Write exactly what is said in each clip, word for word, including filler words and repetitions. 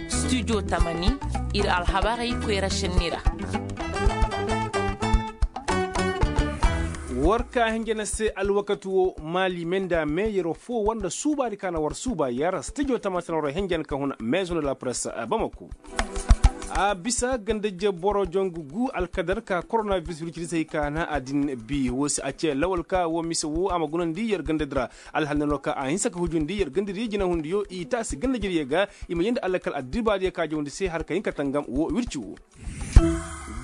Studio tamani, ir alhabarey koyra šenni ra. War ka hinja na se alwakati wo maali me nda meeyero fo war nda suubaadi ka na war suuba yer studio tamani se na war hinja na ka huna maison de la presse. Bamako. A bisa gandajje boro jongu gu alkadar ka koronavirus wircidi se hay ka na a din bi wo se a ce lawal ka wo mise wo a ma gunandi yer gandadi ra. Alhal nano ka a hinsa ka hujundi yer gandadi jinahundiyo i taasi gandajediyo ga. I ma yeendi alakal addibaadiyo ka jawndi se har ka hin ka tangam wo wirci wo.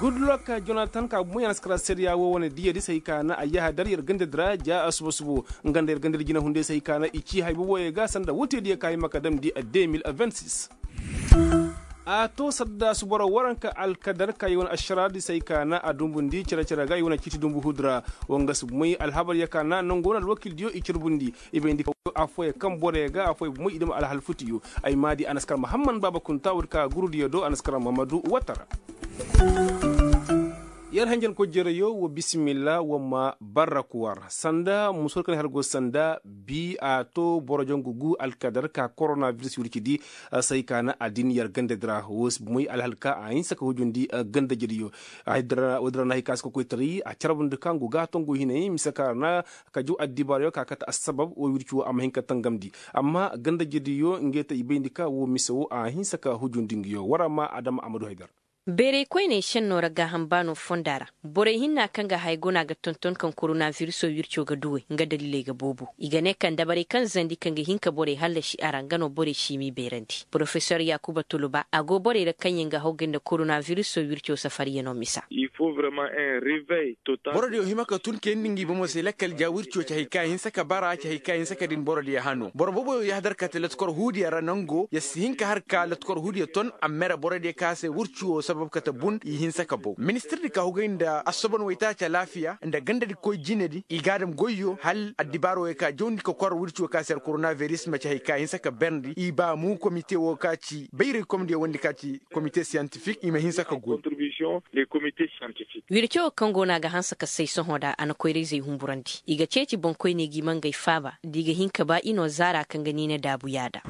Gudlok jonatan ka bumo yanaskara seediya wo wane diyadi se hay ka na a yahadar yer gandadi ra ja a suba subo. Nga nda yer gandadi jinahundiyo se hay ka na i ci hay boboyo ga sanda woteediyo ka hima ka damndi a deux mille vingt-six. A to sadda suboro waranka alkadar ka i wane ašaraadi se hay ka na a dumbundi cere-cere ga i wane ciiti dumbu hudu ra. Wanga si bumey alhabar ya ka na nangu wane alwakildiyo i carbundi. I bayndi ka afooyaŋ kaŋ boroyo ga afooyaŋ bumey i dam alhal futiyo. Ay maadi anaskar mahamman baaba kunta woodi ka gurudiyo do anaskar mahamadu watara. Yer hanjankoy jereyo wa bisimilla wa ma barra kuwar sanda musor kaŋ har go sanda bi a to boro jangu gu alkadar ka koronaviris wircidi. Say ka na adin yer gandadi ra wo si bumey alhal ka a hinsa ka hujundi gandajediyo. Woodi ra na hay ka si ka koytaray a carbundi kaŋ go ga tongu hinay mise ka ra na ka jaw addibaarayo ka kate assabab wo wirci wo a ma hin ka tangamndi. Amma gandajediyo ngey te i bayndi ka wo mise wo a hinsa ka hujundi nguyo war a ma adama a ma du haydar. Bayray koyney šennoo ra gaaham baanoo fonda ra. Borey hinna kaŋ ga haya go no a ga tonton kaŋ koronaviriso wirco ga duwey nga daliley ga boobo. I ga ne kaŋ dabarey kaŋ zandi kaŋ ga hin ka borey hallasi a ra nga no borey si m'i beerandi porofesor yaakuba tuluba a go borey ra kaŋ yaŋ ga hawgay nda koronaviriso wirco safariyanoo misa. Borodiyo hima ka tun kayandi ngi bomo se lakkal ja wirco ci hay ka hinsa ka bara ci hay ka hinsa ka din borodiyo hano boro booboyo yahadar kate latkor huudiyo ra nango ya si hin ka har ka latkor huudiyo ton a mere borodiyo ka se wirco sabab kate bun i hinsa ka bow ministirdi ka hugay nda assobon waytaaci alaafiya nda gandadi koy jinedi i ga dam goyyo hal addibaaro wey ka jawndi ka kor wirco ka se koronaviris ma ci hay ka hinsa ka berndi i ba mu komite wo ka ci bayray komdiyo wondi ka ci komite siyantifik i ma hinsa ka goy. Wirco wo kaŋ go no a ga hanse ka say sohõ da a na koyra-izey humburandi i ga ceeci boŋkoyney ga i ma ngey faaba da i ga hin ka ba i no zaara kaŋ ga niina daabu yaada.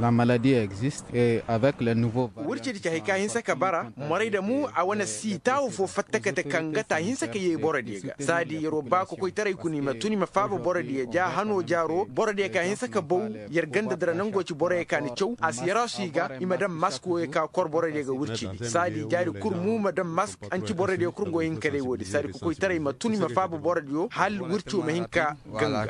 Wircidi ci hay ka hinse ka bara moray da mu a wane sii taawu fo fatta kate kaŋ ga ta hinse ka yee borodiyo ga saadi yer'o ba kokoytaray kuna i ma tun i ma faaba borodiyo ja hano jaaro borodiyo ka hinse ka bow. Yer ganda dira nango ci boroyo ka ni caw a si yarasu i ga i ma daŋ mask woyo ka kor borodiyo ga wircidi saadi jaari kul mu ma daŋ mask anci borodiyo kul ngo hin ka day woodi saadi kokoytaray ma tun i ma faaba borodiyo hal wirco ma hin ka ganga.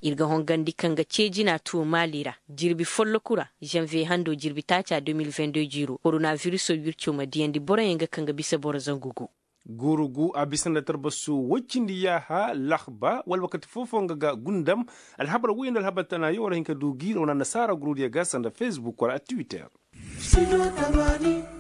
Ir ga hongandi kaŋ ga ceejina tuwo maali ra jirbi folloku ra, zanviye hando jirbi taaca deux mille vingt-deux jiiro koronaviriso wirco ma diyandi boroyaŋ ga kaŋ ga bisa boro zangu gu. Guuru gu a bisa nda tarbasu woy cindi yaaha lahba wala wakati foo-foo nga ga gundam. Alhabar woy nda alhabar tanayo war a hin ka du gi ra wane annasaara gurudiyo ga sanda fesbuk wala twitter.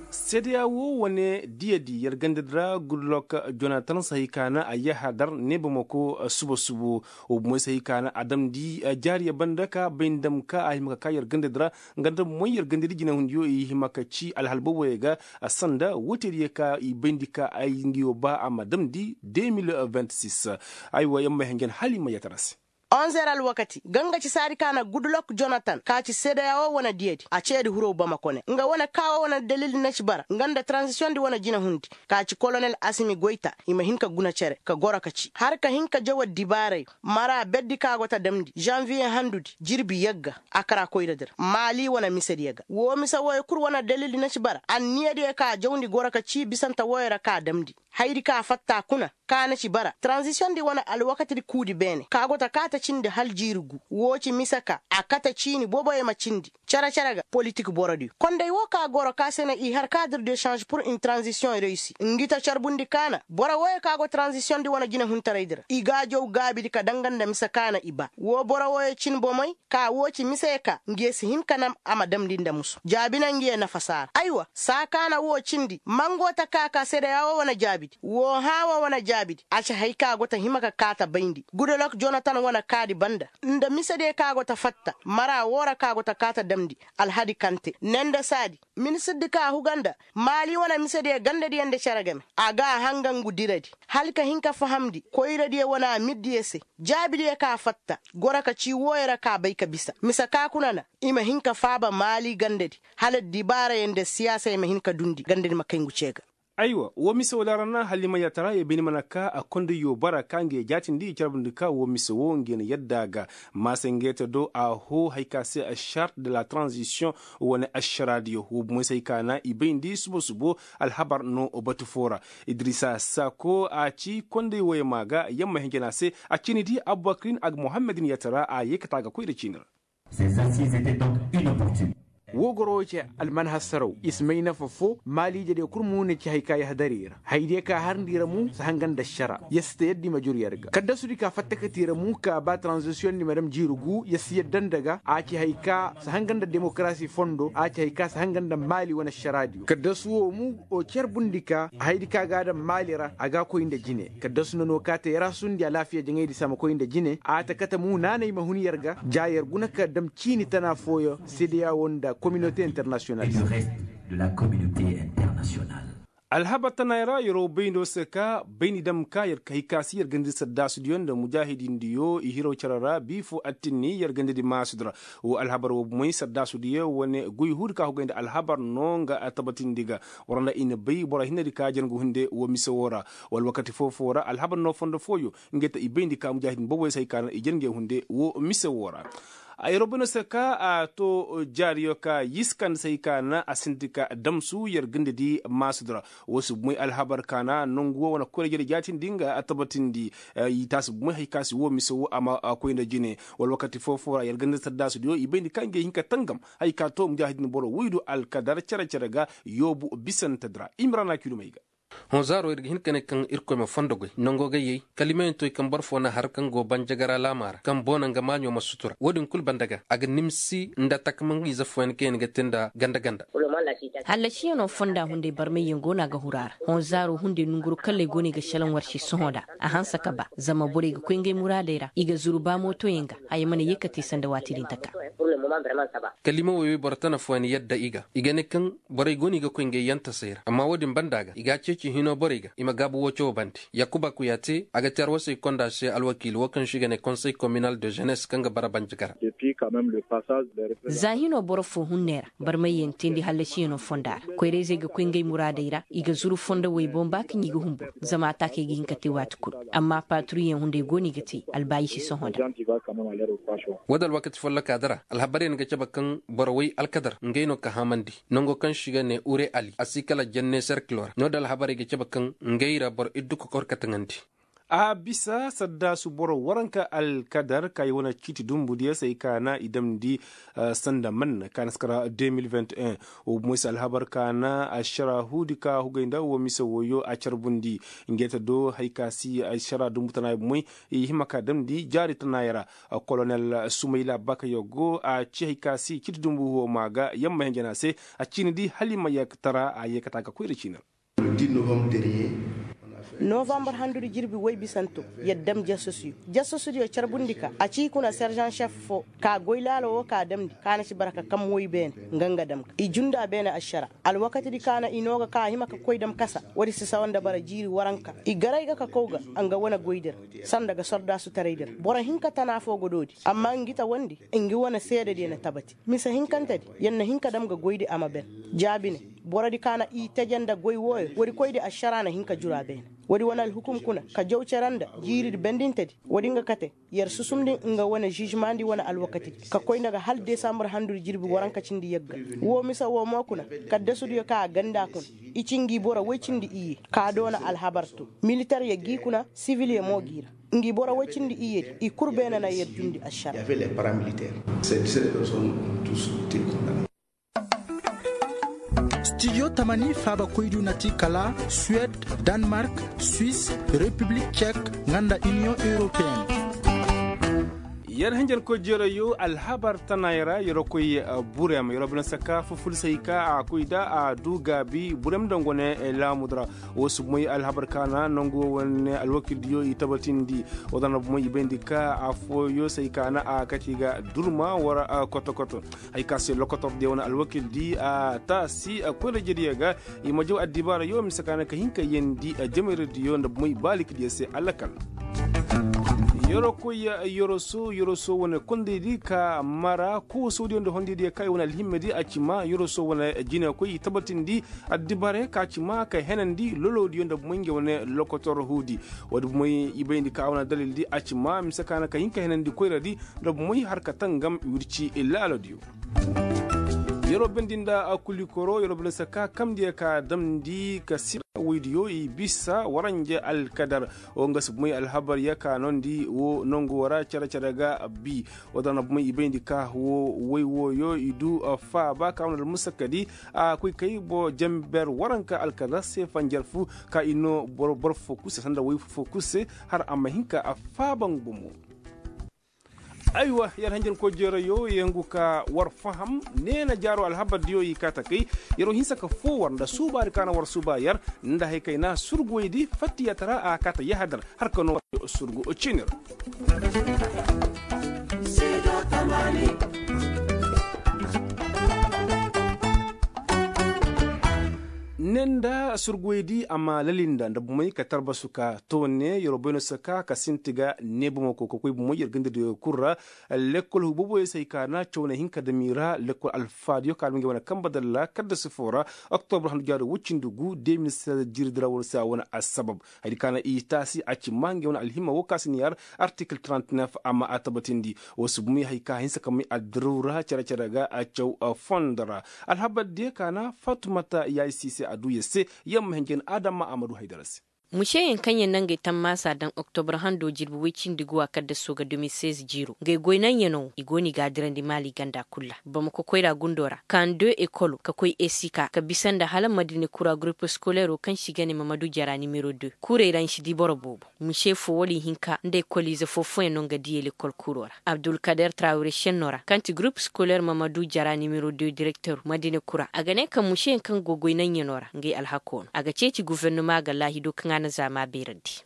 Seedeya wo wane diyadi yer gandadi ra gudlok jonatan sahi ka na a yahadar ne bamako suba subo. Wo bumoy sahi ka na a damndi jaariya banda ka bay nda dam ka a hima ka ka yer gandadi ra. Nga nda bumoy yer gandadi jinahundiyo i hima ka ci alhal booboyo ga. Sanda woteediyo ka i bayndi ka ay nguyo ba a ma damndi deux mille vingt-six. Aywa yer ma may hanjan hala i ma yatara se. Onzer alwakati ga nga ci saadi ka na gudlok jonatan ka ci seedeya wo wane diyadi a ceedi hiro bamako ne nga wane ka wo wane dalildi na ci bara nga nda taranzisiyondi wane jinahundi ka ci kolonel asimi goyta i ma hin ka guna cere ka goro ka ci har ka hin ka jaw addibaaray mara berdi ka go ta damndi zanviye handudi jirbi yagga a kara koyradi ra maali wane misediyo ga woo mise wooyo kul wane dalildi na ci bara anniyadiyo ka jawndi goro ka ci bisante wooyo ra ka damndi hayadi ka fatta kuna ka na ci bara taranzisiyondi wane alwakatidi kuudi beene ka go ta kaate cindi hal jiiri gu woo ci mise ka a kate ciini booboyo ma cindi cere-cere ga politik borodiyo konday woo ka goro ka se na i har kadir de sanze pur in taranzisiyoŋ reyisi ngi ta carbundi ka na boro wooyo ka go taranzisiyondi wane jinehuntaraydi ra i gaajow gaabidi ka danga nda mise ka na i ba woo boro wooyo cin bomey ka woo ci mise ka ngiye si hin ka nam a ma damndi nda musu jaabi na ngiye nafasaara aywa saa ka na woo cindi mango ta ka ka seedeya woo wane jaabidi woo hãa woo wane jaabi A ci hay ka go ta hima ka kaata bayndi gudolok jonatan wane kaadi banda nda misediyo ka go ta fatta mara woo ra ka go ta kaata damndi. Alhadi kante ne nda saadi ministirdi ka huga nda maali wane misediyo gandadiyo nda cere game a ga a hanga ngu diradi hala ka hin ka fahamndi koyradiyo wane amirdiyo se. Jaabidiyo ka fatta goro ka cii wooyo ra ka bay ka bisa mise ka kuna na i ma hin ka faaba maali gandadi hala dibaarayo nda siyaasay ma hin ka dundi gandadi ma kay ngu cee ga. Aywa woo mise woo laarana hala i ma yaatara yee bayndi mana ka a konda yoo bara ka nge jaatindi i carbundi ka woo mise woo nge na yadda a ga. Maasa nge ta do a hoo hay ka se a charte de la transition wane ašaraadiyo woo bumoy se hay ka na i bayndi subo subo. Alhabar no batu foo ra idrisa sako a ci konday woyey maa ga yamma hinjana se a ciini di abubakirin a ga muhammadin yaatara a yee ka taa ga koy nda ciini ra. Woo goro woo ce almanhassaraw i si may nafa foo maaliije diyo kul mo na ci hay ka yahadari ra haydiyo ka harndi ra mo si hanga nda ašara yer si ta yadda i ma jur yer ga kaddasudi ka fatta ka ti ra mo ka ba taranzisiyoŋ ni ma dam jiiri gu yer si yadda nda ga a ci hay ka si hanga nda demokarasi fondo a ci hay ka si hanga nda maali wane ašaraadiyo kaddasu woo mo o carbundi ka haydi ka ga a dam maali ra a ga a koy nda jine kaddasu na no ka te yer a sundi alaafiya jaŋaydi se a ma koy nda jine a ta kate mo naanay ma hun yer ga ja yer guna ka dam ciini tana fooyaŋ sedeya woo nda kominote internasiyonal se. Alhabar tanaay ra yeroo bayndo se ka bayndi dam ka yer ka hay ka se yer gandadi saddaasudiyo nda mujaahidindiyo i hiro cere ra bii foo attinni yer gandadi maasudi ra. Woo alhabar woo bumoy saddaasudiyo wane goy huudi ka hugay nda alhabar no nga a tabatindi ga war nda i na bay boro hinnedi ka jar ngu hunde woo mise woo ra. Wala wakati foo foo ra alhabar no fondo fooyo ngey ta i bayndi ka mujaahidin boboyo se hay ka na i jar ngey hunde woo mise woo ra. Ay robino se ka a to jaariyo ka yisi kande se hay ka na a sinti ka damsu yer ganda di maasudi ra. Woo si bumey alhabar ka na nongu woo wane koyra jere jaatindi nga a tabatindi. I taasi bumey hay ka si woo mise woo a ma koy nda jine wala wakati foo foo ra yer ganda di saddaasudiyo i bayndi ka ngey hin ka tangam hay ka to mujaahidin boro woydu alkadar cere-cere ga yoobu bisantedi ra imrana kidumey ga. Hõ zaaro ir ga hin ka ne kaŋ irkoy ma fondo goy nongo gayyey kala i ma hin toy kaŋ boro foo na har kaŋ go banjagara laama ra kaŋ boona nga maaɲo ma sutura wo-din kul banda ga a ga nimsi nda takamaŋ ize fooyaŋ kaŋ yaŋ ga te nda ganda-ganda. Hallasiyaŋo fonda hunday barmayyaŋ go no a ga huru a ra. Hõ zaaro hunday nonguru kalley go no i ga šelaŋ war se sohõ nda a hanse ka ba zama borey ga koy ngey muraadey ra i ga zuru ba mootoyaŋ ga haya mana ye ka te sanda waati din taka. Kala i ma woy woy boro tana fooyaŋ yadda i ga i ga ne kaŋ borey go no i ga koy ngey yantasey ra amma wo-din banda ga i ga a ceeci hino borey ga i ma gaabu woo cawo bande. Yakuba kuyaate a ga te arwasey konda se alwakiili woo kaŋ se i ga ne konsey kominal de jenes kaŋ ga bara banjagara. Za hino boro foo hunney ra barmayyaŋ teendi hallasiyaŋo fonda ra koyrayzey ga koy ngey muraadey ra i ga zuru fondo woy boŋ ba kaŋ i ga humbur zama a taakey ga hin ka te waati kul. Amma paaturiyaŋ hunday go no i ga te albaayisi sohõ nda. Woo da alwakati follokaa di ra alhabaryaŋ ga cabe kaŋ boro woy alkadar ngey no ka hamandi nongo kaŋ se i ga ne ure ali a si kala jenne serkilo ra no-din alhabarey ga cabe kaŋ ngey ra boro iddu kokor ka taŋandi. A bisa saddaasu boro waranka alkadar ka i wane ciiti dumbudiyo se ay ka na i damndi sanda man ka na si kara deux mille vingt et un. Wo bumoy se alhabar ka na ašara huudi ka hugay nda wo mise woyo a carbundi. Ngey ta do hay ka si ašara dumbu tanaaya bumoy i hima ka damndi jaari tanaaya ra. Kolonel sumayla bakayogo a ci hay ka si ciiti dumbu wo ma ga yamma hinjana se a ciini di hala i ma yeekatara a yeekata ga koyra ciini ra. Novambar handudi jirbi woy bisanto yer dam jasasuyo jasasudiyo carbundi ka a ci i kuna serjan šef foo ka goy laalo woo ka damndi ka na ci bara ka kam woy beene. Nga nga dam ga i junda beene ašara alwakatidi ka na i noo ga ka a hima ka koy dam kasa woodi si sawa nda bara jiiri waranka i garay ga ka kow ga nga wane goydi ra. Sanda ga sordaasutaraydi ra boro hinka tana foo go doodi amma ngi tawandi ngi wane seedediyo na tabati. Mise hinkantedi yer na hin ka dam ga goydi a ma ben. Jaabine borodi ka na i teje nda goy wooyo woodi koydi ašara na hin ka juru a beene. Woodi wane alhukum kuna ka jaw cere nda jiiridi bendintedi woodi nga kate yer susumndi nga wane žižmaandi wane alwakatidi ka koy nda ga hala desambur handudi jirbi waranka cindi yagga. Woo mise woo mo kuna kaddasudiyo ka a ganda kuna i ci ngi boro woy cindi iyye ka doona alhabar to militeryo g'i kuna sivilyo mo g'i ra. Ngi boro woy cindi iyyedi i kul beene na yer jundi ašara. Stidiyo tamani faabakoydiyo na ti kala suwed, danmark, swis, repiblik cek, nga nda iniyoŋ europeen. Yer hinjankoy jeerayo alhabar tanaayey ra yer koy burem yer bine saka fufulsey ka a koy da a du gaabi burem nda nga wane laamudu ra. Wo si moy alhabar ka na nangu wo wane alwakildiyo i tabatindi. Wo da na bomoy i bayndi ka affooyo sey ka na a kati ga durma war koto-koto. Hay ka se lokotor diyo wane alwakildi a taasi koyra jediyo ga. I ma jaw addibaarayo mise ka na ka hin ka yeendi jamayra diyo nda bomoy baalikdiyo se alakal. Yorokoy yoroso yoroso wane kondaydi ka mara koosodiyo nda hondaydiyo ka i wane alhimmadi a ci ma yoroso wane jinekoy i tabatindi. Addibaarayo ka ci ma ka henandi lolodiyo nda bomoy nge wane lokotor huudi. Woodi bomoy i bayndi ka a wane dalildi a ci ma mise ka na ka hin ka henandi koyradi nda bomoy har ka tangam wirci laalodiyo. Yeroo bendi nda kulikoro yeroo bendi se ka kamndi ya ka damndi ka sira woydiyo i bisa waranje alkadar. Wo nga si bumey alhabar ya ka noondi wo nongu wara cere-cere ga bi. Wo da na bumey i bayndi ka wo woy wooyo i du faaba ka wane almusakadi a koy kay bo jamber waranka alkadar se fanjar fu ka i noo boro fo kul se sanda woy fo kul se har a ma hin ka a faaban gumo. Aywa yer hanjanko jeerayo yengu ka war faham neena jaaro alhabardiyo i kaata kay. Yeroo hinsa ka foo war nda suubaadi ka na war suuba yer nda hay kayna surguwaydi fattiyatara a kaata yahadar har ka noo surgu ciinir. Ne nda surguwaydi a ma lalinda nda bumey ka tarbasu ka toone yeroo bayno saka ka sinti ga ne bumey koy ka koy bumey yer gandadiyo kul ra. Lekkol huuboboyo se hay ka na caw na hin ka dam i ra lekkol alfaadiyo ka dam ngey wane kamba dalla kadda sifo ra. Oktobra handu jaari woy cindi gu de mil seize jiiridi ra war se a wane assabab. Hayadi ka na i taasi a ci maa ngey wane alhimma wo ka si ni yar artikil trente-neuf a ma a tabatindi. Wo si bumey hay ka hinsa ka may addaraw ra cere-cere ga a caw fondo ra. Alhabardiyo ka na fatumata yaayi siise a duu yer se. Yer ma hin jin adama a ma du haydara se. Museyaŋ kaŋ yaŋ na ngey tammaasa daŋ oktobra hando jirbi woy cindi guwa kaddaso ga de mil seize jiiro ngey goy naŋyanoo i go no i ga a dirandi maali ganda kul ra. Bamako koyra gundo ra kaŋ de ekolo ka koy esika ka bisa nda hala madina kura gurupu sikoleero kaŋ se i ga ne mamadu jara nimero de. Kurey ra ni si di boro boobo. Mise fo wala ihinka nda ekoliize foo-fooyaŋ no nga diyey lekkol kuuroo ra abdulkader trawire senno ra kaŋ ti gurup sikoler mamadu jara nimero de direkter madina kura a ga ne kaŋ museyaŋ kaŋ go goy naŋyanoo ra ngey alhakoo no a ga ceeci gufernama ga laahido kaŋ a na zaama beerandi.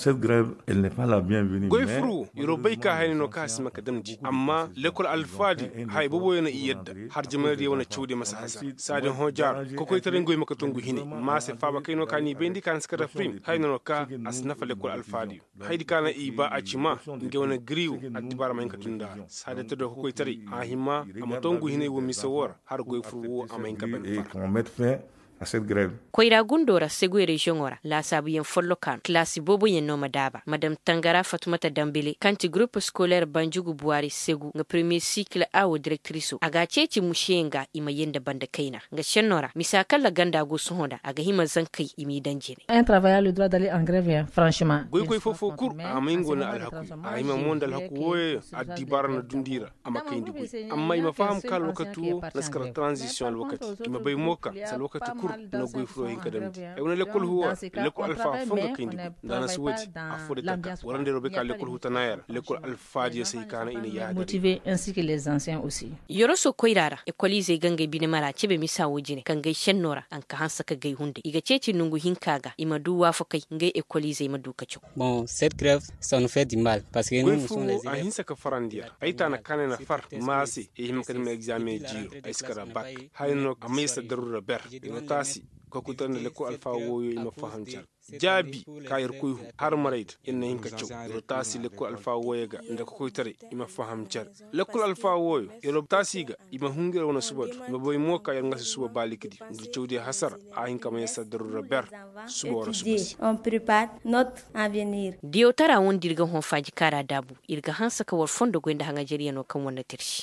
Goy furu wo yeroo bay ka hayni no kaŋ a si hima ka damndi amma lekkol alfaadi haya booboyaŋ no i yadda har jamanadiyo wane cawdiyo ma si hasara saadi hõ jaara kokoytaray nga wey ma ka tungu hinay ma a se faaba kay no ka n'i bayndi ka na si kate firim hayni no ka a si nafa lekkol alfaadiyo. Hayadi ka na i ba a ci ma ngey wane giriiwo addibaara ma hin ka tun nda a ra saadante do ka koytaray a hima a ma tongu hinay wo mise woo ra har goy fur woo a ma hin ka bane far. Koyra gundoo ra seguy reziyoŋoo ra laasaabuyaŋ follokaa no kilaasi booboyaŋ no ma daaba madam tangara fatumata dambele kaŋ ti gurup sikoler banjugu buwaari segu nga premiye sikil a wo direktirisoo a ga a ceeci museyaŋ ga i ma yee nda banda kayna. Nga senno ra misa kaŋ ra ganda go sohõ nda a ga hima zankey i m'i daŋ jine. Goykoy foo-foo kul a may nga wane alhaku a hima mo nda alhaku wooyo addibaara na dundi i ra a ma kayndi goy amma i ma faham ka alwakati woo na si kara taranzisiyoŋ alwakati i ma bay mo ka si alwakati kul na goy furoo hin ka damndi ay wane lekkol huwoo ra lekkol alfaa foo nga kayndi goy nda a na si woodi affoo de taka war nda yeroo bay ka lekkol hutanaayo ra lekkol alfaadiyo se hay ka na i na yaadin. Yoroso koyra ra ekoliizey ga ngey bine mara cebe misa woo jine ka ngey senno ra a nka hanse ka gay hunday i ga ceeci nongu hinka ga i ma du waafakay ngey ekoliizey ma du ka caw. Goy furu woo a hinse ka farandi yer ay taana kaanay na far ma se ay hima ka dima egzaameŋ jiiro ay si kara bak. Haya no a may se daruura ber i ma taasi kokoytaray nda lekkol alfaa wooyo i ma faham car jaabi ka yer koy hu har marayda yer na hin ka caw yer taasi lekkol alfaa wooyo ga nda kokoytaray i ma faham car. Lekkol alfaa wooyo yer taasi ga i ma hungu yer wane subadu i ma bay mo ka yer nga si suba baalikidi nda cawdiyo hasara a hin ka ma yer saddaru ra ber. Suba wara suba se. Diyawtaraa wondi ir ga hõ faaji kaara daabu ir ga hanse ka war fondo goy nda haŋajeryanoo kaŋ war na tirsi.